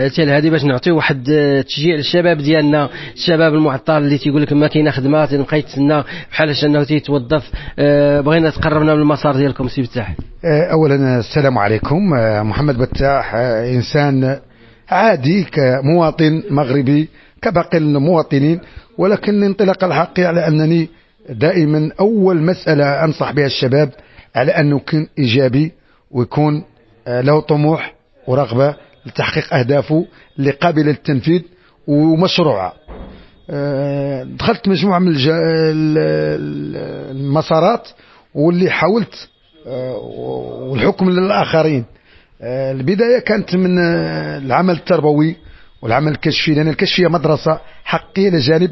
حتى لهذه باش نعطيو واحد التشجيع للشباب ديالنا، الشباب المعطل اللي تيقول لك ما كاينه خدمة تنبقى يتسنى بحال انه تيتوظف. بغينا تقربنا من المسار ديالكم سي بتاح. اولا السلام عليكم. محمد بتاح انسان عادي كمواطن مغربي كباقي المواطنين، ولكن الانطلاقة الحقيقية على انني دائما أول مسألة أنصح بها الشباب على أنه يكون إيجابي ويكون له طموح ورغبة لتحقيق أهدافه اللي قابلة للتنفيذ ومشروعة. دخلت مجموعة من المسارات واللي حاولت والحكم للآخرين. البداية كانت من العمل التربوي والعمل الكشفي، لأن الكشفية مدرسة حقيقية لجانب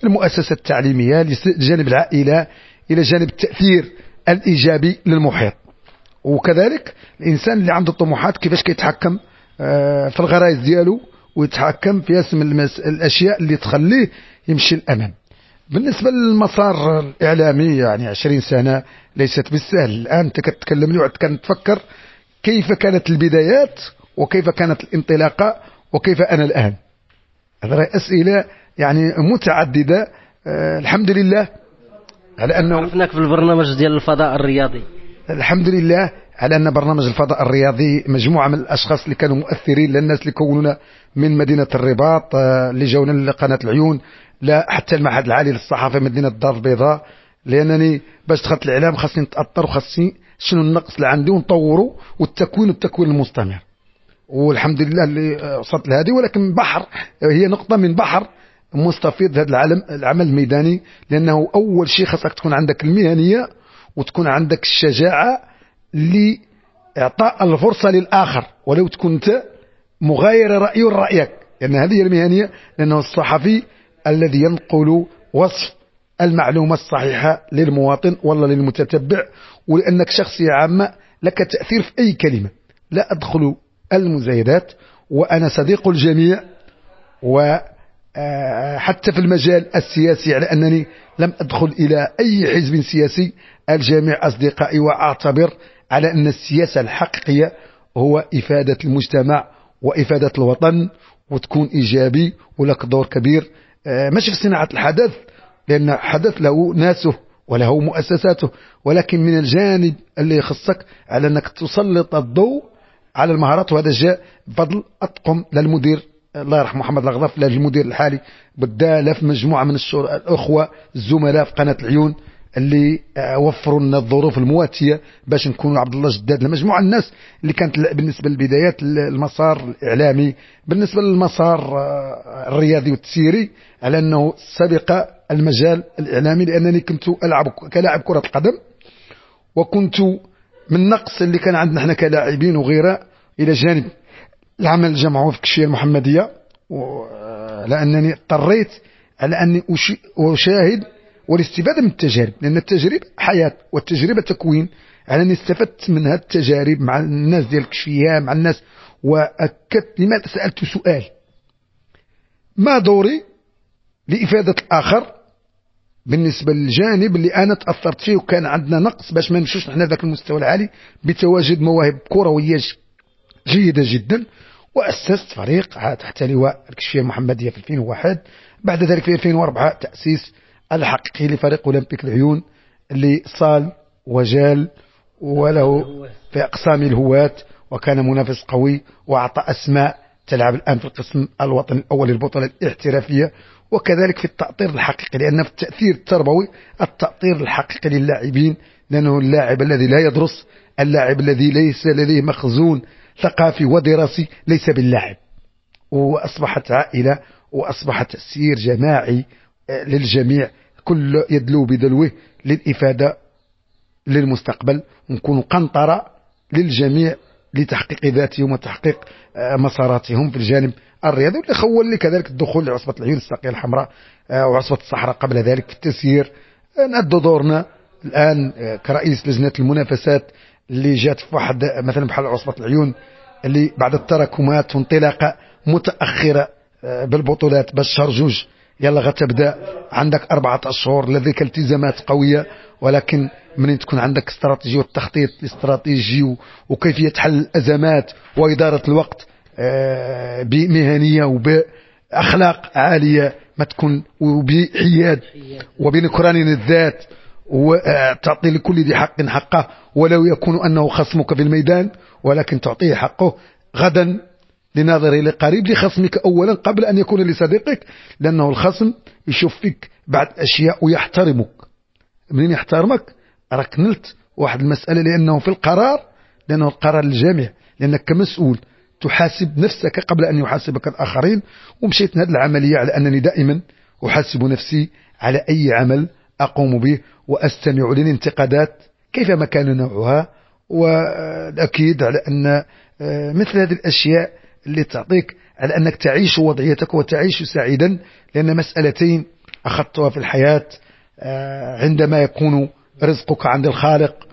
المؤسسة التعليمية، لجانب العائلة، إلى جانب التأثير الإيجابي للمحيط. وكذلك الإنسان اللي عنده طموحات كيفاش كيتحكم في الغرائز ديالو ويتحكم في اسم الأشياء اللي تخليه يمشي الأمام. بالنسبة للمسار الإعلامي يعني عشرين سنة ليست بالسهل. الآن أنت كتكلم لي وعد كنتفكر كيف كانت البدايات وكيف كانت الانطلاقة وكيف أنا الآن. هذه أسئلة يعني متعددة. أه الحمد لله على أنه عرفناك في البرنامج ديال الفضاء الرياضي. الحمد لله على أن برنامج الفضاء الرياضي مجموعة من الأشخاص اللي كانوا مؤثرين، للناس اللي كونونا من مدينة الرباط، أه اللي جاونا لقناة العيون، لا حتى المعهد العالي للصحافة مدينة الدار البيضاء. لأنني باش دخلت الإعلام خاصني نتأثر وخاصني شنو النقص اللي عندي ونطوره، والتكوين والتكوين المستمر. والحمد لله اللي وصلت لهذه، ولكن بحر هي نقطة من بحر مستفيض هذا العالم العمل الميداني. لأنه أول شيء خاصك تكون عندك المهنية وتكون عندك الشجاعة لإعطاء الفرصة للآخر ولو تكون أنت مغاير رأيه لرأيك، لأن هذه هي المهنية. لأنه الصحفي الذي ينقل وصف المعلومة الصحيحة للمواطن ولا للمتتبع، ولأنك شخصية عامة لك تأثير في أي كلمة. لا أدخل المزايدات وأنا صديق الجميع، و حتى في المجال السياسي على أنني لم أدخل إلى أي حزب سياسي، الجميع أصدقائي، وأعتبر على أن السياسة الحقيقية هو إفادة المجتمع وإفادة الوطن، وتكون إيجابي ولك دور كبير، ماشي في صناعة الحدث لأن الحدث له ناسه وله مؤسساته، ولكن من الجانب اللي يخصك على أنك تسلط الضوء على المهارات. وهذا جاء بفضل أطقم للمدير الله يرحم محمد الغضف المدير الحالي، بداله في مجموعة من الأخوة الزملاء في قناة العيون اللي وفروا لنا الظروف المواتية باش نكونوا عبد الله جداد، المجموعة الناس اللي كانت بالنسبة للبدايات المسار الإعلامي، بالنسبة للمسار الرياضي والتسييري، على أنه سبق المجال الإعلامي، لأنني كنت ألعب كلاعب كرة القدم، وكنت من النقص اللي كان عندنا احنا كلاعبين وغيره، إلى جانب العمل الجمعوي في الكشفية المحمدية، لأنني اضطريت على أني أشاهد والاستفادة من التجارب، لأن التجربة حياة والتجربة تكوين. على أني استفدت من هذه التجارب مع الناس ديال الكشفية، مع الناس، وأكدت لماذا سألت سؤال: ما دوري لإفادة الآخر بالنسبة للجانب اللي أنا تأثرت فيه وكان عندنا نقص باش ما نمشوش نحن ذاك المستوى العالي بتواجد مواهب كروية جيدة جدا. وأسست فريق تحت لواء الكشفية المحمدية في ألفين وواحد، بعد ذلك في ألفين وأربعة تأسيس الحقيقي لفريق أولمبيك العيون اللي صال وجال وله في أقسام الهواة، وكان منافس قوي وأعطى أسماء تلعب الآن في القسم الوطني الأول للبطولة الاحترافية، وكذلك في التأطير الحقيقي، لأن في التأثير التربوي التأطير الحقيقي للاعبين، لأنه اللاعب الذي لا يدرس، اللاعب الذي ليس لديه مخزون ثقافي ودراسي ليس باللاعب. وأصبحت عائلة، وأصبح تأثير جماعي للجميع، كل يدلو بدلوه للإفادة للمستقبل، ونكون قنطرة للجميع لتحقيق ذاتهم وتحقيق مساراتهم في الجانب الرياضي، واللي خول لي كذلك الدخول لعصبة العيون الساقية الحمراء وعصبة الصحراء قبل ذلك في التسيير. نأدوا دورنا الآن كرئيس لجنة المنافسات اللي جات في واحد مثلا بحال عصبة العيون اللي بعد التراكمات وانطلاقة متأخرة بالبطولات باش شهر جوج يلا غتبدا، عندك أربعة أشهر لديك التزامات قوية، ولكن منين تكون عندك استراتيجية والتخطيط الاستراتيجي وكيفية حل الأزمات وإدارة الوقت بمهنية وبأخلاق عالية ما تكون، وبحياد وبنكران الذات، وتعطي لكل ذي حق حقه، ولو يكون أنه خصمك في الميدان ولكن تعطيه حقه غدا لناظره لقريب لخصمك أولا قبل أن يكون لصديقك، لأنه الخصم يشوف فيك بعد أشياء ويحترمك. منين يحترمك راك نلت واحد المسألة، لأنه في القرار، لأنه القرار للجميع، لأنك كمسؤول تحاسب نفسك قبل أن يحاسبك الآخرين. ومشيت هذه العملية على أنني دائما أحاسب نفسي على أي عمل أقوم به، وأستمع للانتقادات كيفما كان نوعها، والأكيد على أن مثل هذه الأشياء اللي تعطيك على أنك تعيش وضعيتك وتعيش سعيدا. لأن مسألتين أخذتها في الحياة، عندما يكون رزقك عند الخالق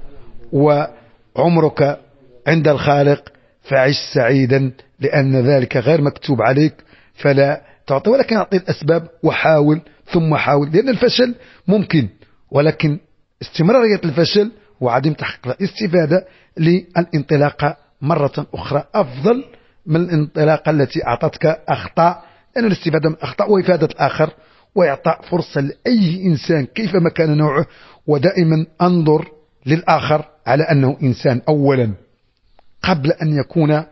وعمرك عند الخالق فعش سعيدا، لأن ذلك غير مكتوب عليك فلا تعطي، ولكن أعطي الأسباب وحاول ثم حاول، لأن الفشل ممكن، ولكن استمرارية الفشل وعدم تحقيق الاستفادة للانطلاقة مرة أخرى أفضل من الانطلاقة التي أعطتك أخطاء، لأن الاستفادة من الأخطاء وإفادة الآخر وإعطاء فرصة لأي إنسان كيفما كان نوعه. ودائما أنظر للآخر على أنه إنسان أولا قبل أن يكون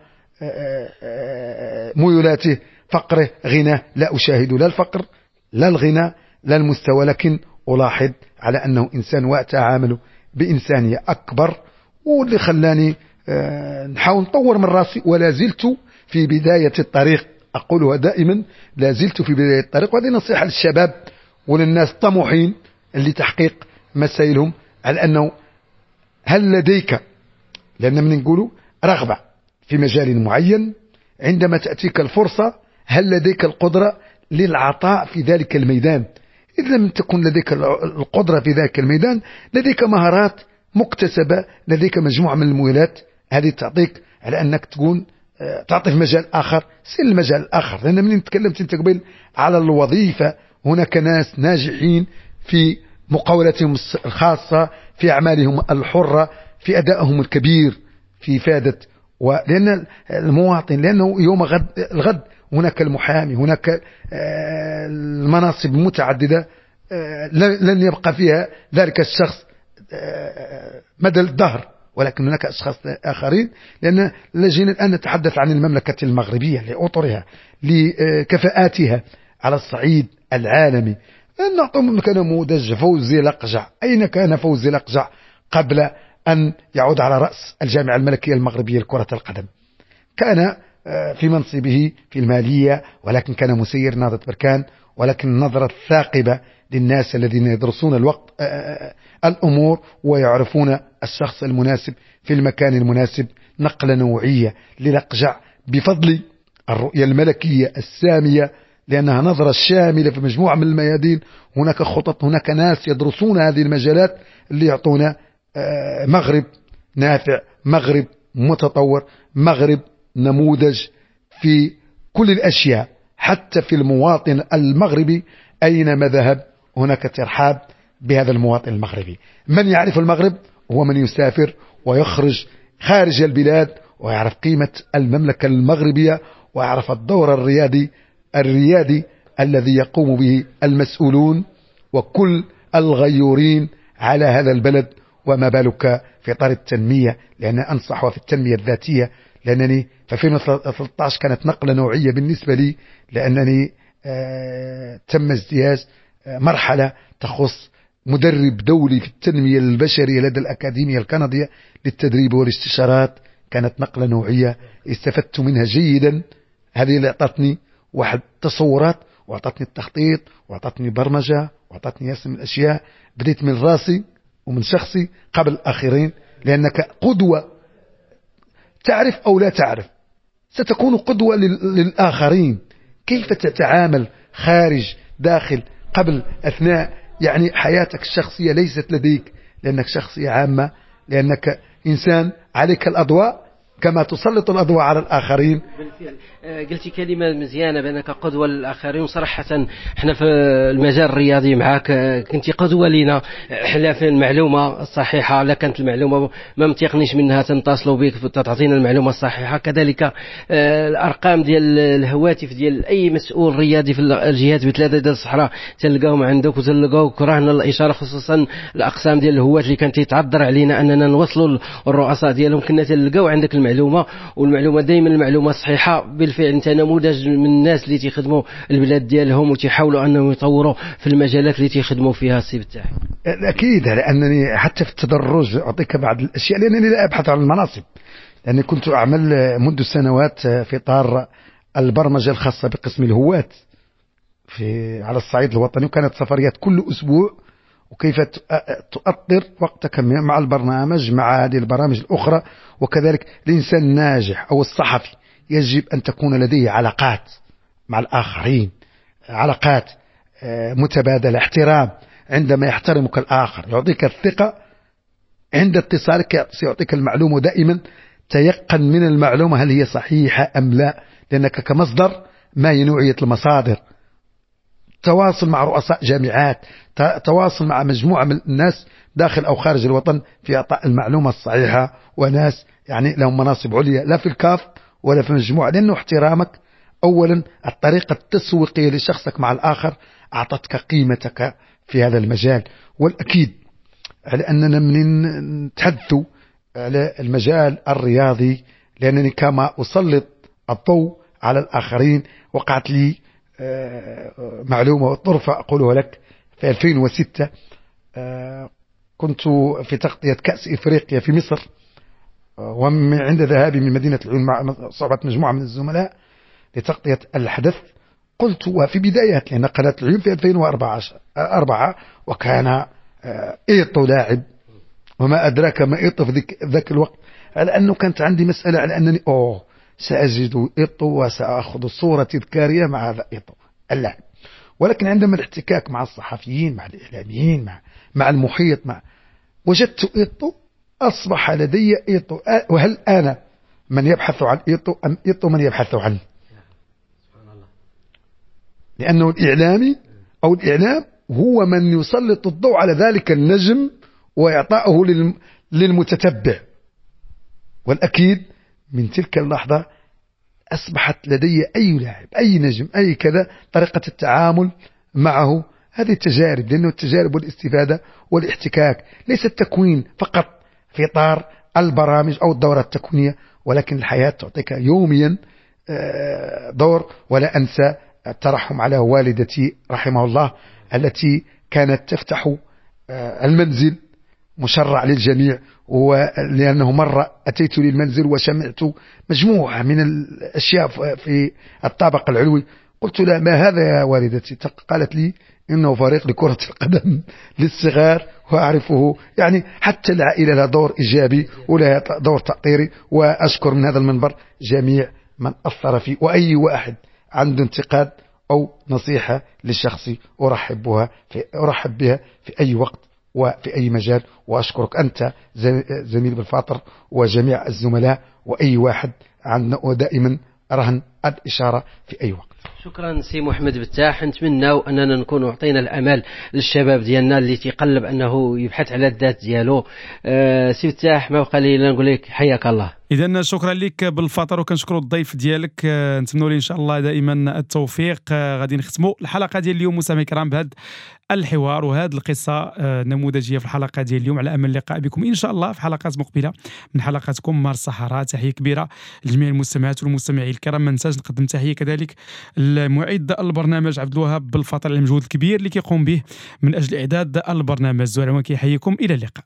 ميولاته، فقره، غناه. لا أشاهد لا الفقر لا الغنى لا المستوى، لكن ألاحظ على أنه إنسان وأتعامل بإنسانية أكبر، واللي خلاني نحاول نطور من راسي، ولا زلت في بداية الطريق، أقولها دائما لا زلت في بداية الطريق. وهذه نصيحة للشباب وللناس الطموحين اللي تحقيق مسائلهم، على أنه هل لديك، لأن من نقولوا رغبة في مجال معين، عندما تأتيك الفرصة هل لديك القدرة للعطاء في ذلك الميدان؟ إذا لم تكن لديك القدرة في ذلك الميدان، لديك مهارات مكتسبة، لديك مجموعة من المؤهلات، هذه تعطيك على أنك تكون تعطي في مجال آخر، سير المجال الآخر. لأن من تكلمت أنت قبل على الوظيفة، هناك ناس ناجحين في مقاولاتهم الخاصة، في أعمالهم الحرة، في أدائهم الكبير في إفادة، ولأن المواطن، لأنه يوم غد الغد هناك المحامي، هناك المناصب المتعددة لن يبقى فيها ذلك الشخص مدى الدهر، ولكن هناك أشخاص آخرين، لأن لجينا الآن نتحدث عن المملكة المغربية لأطرها لكفاءاتها على الصعيد العالمي. نعطي كنموذج فوزي لقجع. أين كان فوزي لقجع قبل أن يعود على رأس الجامعة الملكية المغربية لكرة القدم؟ كان في منصبه في المالية، ولكن كان مسير نهضة بركان، ولكن النظرة الثاقبة للناس الذين يدرسون الوقت الأمور ويعرفون الشخص المناسب في المكان المناسب. نقلة نوعية للقجع بفضل الرؤية الملكية السامية، لأنها نظرة شاملة في مجموعة من الميادين. هناك خطط، هناك ناس يدرسون هذه المجالات اللي يعطونا مغرب نافع، مغرب متطور، مغرب نموذج في كل الأشياء، حتى في المواطن المغربي أينما ذهب هناك ترحاب بهذا المواطن المغربي. من يعرف المغرب هو من يسافر ويخرج خارج البلاد ويعرف قيمة المملكة المغربية ويعرف الدور الريادي الريادي الذي يقوم به المسؤولون وكل الغيورين على هذا البلد. وما بالك في إطار التنمية، لأن أنصح في التنمية الذاتية، لأنني في ألفين وثلاثة عشر كانت نقلة نوعية بالنسبة لي، لأنني آه تم اجتياز آه مرحلة تخص مدرب دولي في التنمية البشرية لدى الأكاديمية الكندية للتدريب والاستشارات. كانت نقلة نوعية استفدت منها جيدا. هذه اللي أعطتني واحد التصورات، وأعطتني التخطيط، وأعطتني برمجة، وأعطتني ياسر من الأشياء. بديت من راسي ومن شخصي قبل الآخرين، لأنك قدوة تعرف أو لا تعرف ستكون قدوة للآخرين. كيف تتعامل خارج داخل قبل أثناء، يعني حياتك الشخصية ليست لديك، لأنك شخصية عامة، لأنك إنسان عليك الأضواء كما تسلط الأضواء على الآخرين. بالفعل قلتي كلمة مزيانة بأنك قدوة للآخرين، وصراحة احنا في المجال الرياضي معاك كنتي قدوة لنا، احنا في المعلومة الصحيحة، لا كانت المعلومة ما متيقنيش منها تنتصلوا بك تعطينا المعلومة الصحيحة. كذلك الأرقام ديال الهواتف ديال أي مسؤول رياضي في الجهات بثلاثة ديال الصحراء تلقاهم عندك وتلقاوك رهن الإشارة، خصوصا الأقسام ديال الهواة اللي كانت تيتعذر علينا أننا نوصلوا الرؤساء ديالهم، كنا تلقاو عندك المعلومة، والمعلومة دائما المعلومة الصحيحة. بالفعل انت نموذج من الناس اللي تيخدموا البلاد ديالهم وتيحاولوا انهم يطوروا في المجالات اللي تيخدموا فيها. السي بتاعي اكيد، لانني حتى في التدرج اعطيك بعض الاشياء، لانني لا ابحث عن المناصب، لاني كنت اعمل منذ سنوات في اطار البرمجة الخاصة بقسم الهواة في على الصعيد الوطني، وكانت سفريات كل اسبوع، وكيف تؤطر وقتك مع البرنامج مع هذه البرامج الأخرى. وكذلك الإنسان الناجح أو الصحفي يجب أن تكون لديه علاقات مع الآخرين، علاقات متبادلة، احترام. عندما يحترمك الآخر يعطيك الثقة، عند اتصالك سيعطيك المعلومة، دائما تيقن من المعلومة هل هي صحيحة أم لا، لأنك كمصدر ما هي نوعية المصادر. تواصل مع رؤساء جامعات، تواصل مع مجموعة من الناس داخل أو خارج الوطن في إعطاء المعلومة الصحيحة، وناس يعني لهم مناصب عليا لا في الكاف ولا في مجموعة، لأنه احترامك أولا الطريقة التسويقية لشخصك مع الآخر أعطتك قيمتك في هذا المجال. والأكيد على أننا من نتحدث على المجال الرياضي، لأنني كما أسلط الضوء على الآخرين وقعت لي معلومة وطرفة أقولها لك. في ألفين وستة كنت في تغطية كأس إفريقيا في مصر، وعند ذهابي من مدينة العيون مع صحبة مجموعة من الزملاء لتغطية الحدث، قلت وفي بداية لأن قناة العيون في ألفين وأربعة، وكان إيطو لاعب، وما أدراك ما إيطو في ذاك الوقت، على أنه كانت عندي مسألة على أنني أوه سأجد إيطو وسأخذ صورة تذكارية مع هذا إيطو اللاعب. ولكن عندما الاحتكاك مع الصحفيين مع الإعلاميين مع مع المحيط مع وجدت إيطو، أصبح لدي إيطو. وهل أنا من يبحث عن إيطو أم إيطو من يبحث عنه؟ لأنه الإعلامي أو الإعلام هو من يسلط الضوء على ذلك النجم وإعطائه للمتتبع. والأكيد من تلك اللحظة أصبحت لدي أي لاعب أي نجم أي كذا طريقة التعامل معه. هذه التجارب، لأنه التجارب والاستفادة والاحتكاك ليس التكوين فقط في إطار البرامج أو الدورات التكوينية، ولكن الحياة تعطيك يوميا دور. ولا أنسى الترحم على والدتي رحمه الله التي كانت تفتح المنزل مشرع للجميع، ولأنه مرة أتيت للمنزل وسمعت مجموعة من الأشياء في الطابق العلوي، قلت لها ما هذا يا والدتي؟ قالت لي إنه فريق لكرة القدم للصغار وأعرفه. يعني حتى العائلة لها دور إيجابي ولها دور تأطيري. وأشكر من هذا المنبر جميع من أثر فيه، وأي واحد عنده انتقاد أو نصيحة لشخصي أرحب بها في أرحب بها في أي وقت وفي أي مجال. وأشكرك أنت زميل بالفاطر وجميع الزملاء وأي واحد عندنا، ودائما رهن الإشارة في أي وقت. شكرا سي محمد بتاح. نتمناو اننا نكونوا عطينا الامل للشباب ديالنا اللي تيقلب انه يبحث على الذات ديالو. أه سي بتاح، ما بقى لي الا نقول لك حياك الله. اذا شكرا لك بالفطر، وكنشكروا الضيف ديالك، نتمنوا ليه ان شاء الله دائما التوفيق. غادي نختموا الحلقة ديال اليوم مستمعي الكرام بهذا الحوار وهذه القصة النموذجيه في الحلقة ديال اليوم، على امل اللقاء بكم ان شاء الله في حلقات مقبله من حلقاتكم مارس الصحراء. تحية كبيرة لجميع المستمعات والمستمعين الكرام. ما ننساش نقدم تحية كذلك المعد البرنامج عبد الوهاب بالفطر على المجهود الكبير اللي كيقوم به من اجل اعداد البرنامج. زهير كيحييكم، الى اللقاء.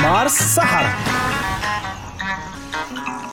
مارس الصحراء.